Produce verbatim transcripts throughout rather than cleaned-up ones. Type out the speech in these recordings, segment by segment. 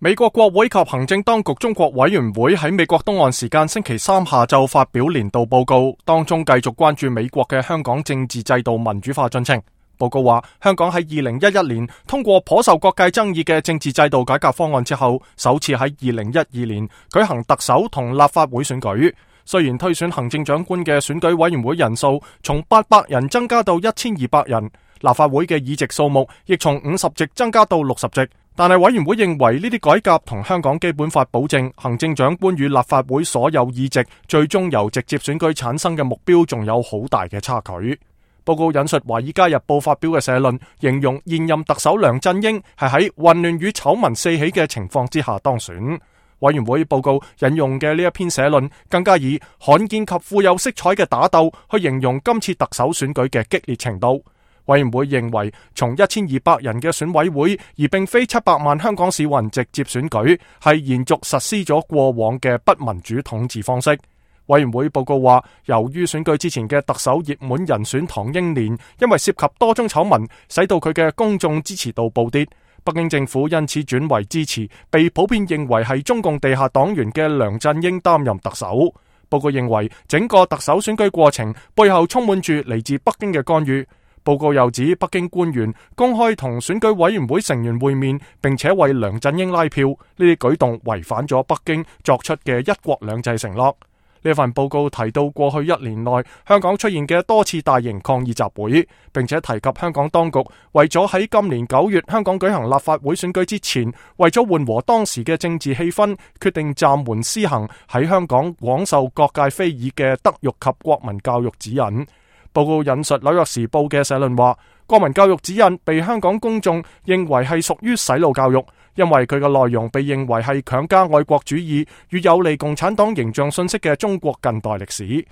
美國國會及行政當局中國委員會喺美國東岸時間星期三下晝發表年度報告，當中繼續關注美國嘅香港政治制度民主化進程。報告話，香港喺二零一一年通過頗受各界爭議嘅政治制度改革方案之後，首次喺二零一二年舉行特首同立法會選舉。雖然推選行政長官嘅選舉委員會人數從八百人增加到一千二百人，立法會嘅議席數目亦從五十席增加到六十席，但係委員會認為呢啲改革同香港基本法保證行政長官與立法會所有議席最終由直接選舉產生嘅目標仲有好大嘅差距。報告引述《華爾街日報》發表嘅社論，形容現任特首梁振英係喺混亂與醜聞四起嘅情況之下當選。委員會報告引用嘅呢一篇社論，更加以罕見及富有色彩嘅打鬥去形容今次特首選舉嘅激烈程度。委員會認為，從一千二百人嘅選委會，而並非七百萬香港市民直接選舉，係延續實施咗過往嘅不民主統治方式。委員會報告話，由於選舉之前嘅特首熱門人選唐英年，因為涉及多宗醜聞，使到佢嘅公眾支持度暴跌。北京政府因此轉為支持被普遍認為係中共地下黨員嘅梁振英擔任特首。報告認為，整個特首選舉過程背後充滿住嚟自北京嘅干預。報告又指，北京官員公開同選舉委員會成員會面，並且為梁振英拉票，呢啲舉動違反咗北京作出嘅一國兩制承諾。呢份報告提到過去一年內香港出現嘅多次大型抗議集會，並且提及香港當局為咗喺今年九月香港舉行立法會選舉之前，為咗緩和當時嘅政治氣氛，決定暫緩施行喺香港廣受各界非議嘅德育及國民教育指引。報告引述紐約時報嘅社論話，國民教育指引被香港公眾認為係屬於洗腦教育，因為佢嘅內容被認為係強加愛國主義與有利共產黨形象信息嘅中國近代歷史。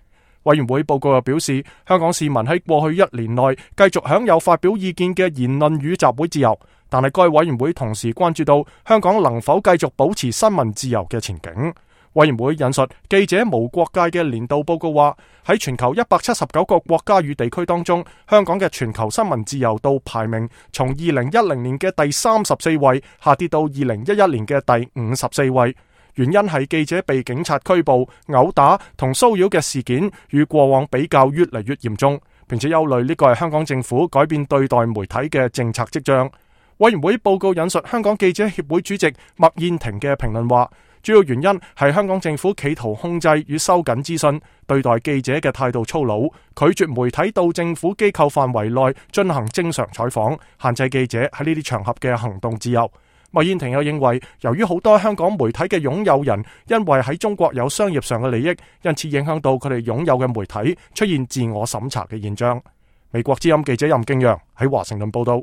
委員會報告又表示，香港市民喺過去一年內繼續享有發表意見嘅言論與集會自由，但係該委員會同時關注到香港能否繼續保持新聞自由嘅前景。委員會引述記者無國界嘅年度報告話，喺全球一百七十九個國家與地區當中，香港嘅全球新聞自由度排名從二零一零年嘅第三十四位下跌到二零一一年嘅第五十四位。原因係記者被警察拘捕、毆打同騷擾嘅事件與過往比較越嚟越嚴重，並且憂慮呢個係香港政府改變對待媒體嘅政策跡象。委員會報告引述香港記者協會主席麥燕庭嘅評論話，主要原因係香港政府企圖控制與收緊資訊，對待記者嘅態度粗魯，拒絕媒體到政府機構範圍內進行正常採訪，限制記者喺呢啲場合嘅行動自由。麥燕庭又認為，由於好多香港媒體嘅擁有人因為喺中國有商業上嘅利益，因此影響到佢哋擁有嘅媒體出現自我審查嘅現象。美國之音記者任敬揚喺華盛頓報道。